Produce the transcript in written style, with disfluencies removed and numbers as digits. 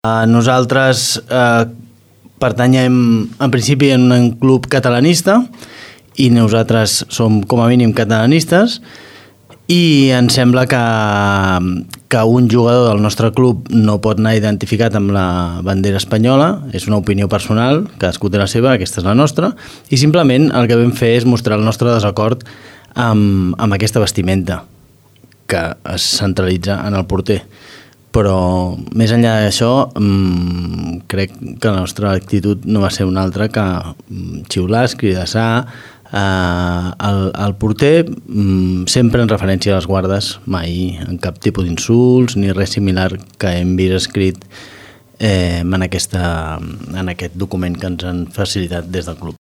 Nosaltres pertanyem en principi en un club catalanista i nosaltres som com a mínim catalanistes i ens sembla que un jugador del nostre club no pot anar identificat amb la bandera espanyola, és una opinió personal, cadascú té la seva, aquesta és la nostra, i simplement el que vam fer és mostrar el nostre desacord amb aquesta vestimenta que es centralitza en el porter. Però més enllà d'això crec que la nostra actitud no va ser una altra que xiular, escridassar el porter, sempre en referència a les guardes, mai en cap tipus d'insults ni res similar que hem vist escrit en aquest document que ens han facilitat des del club.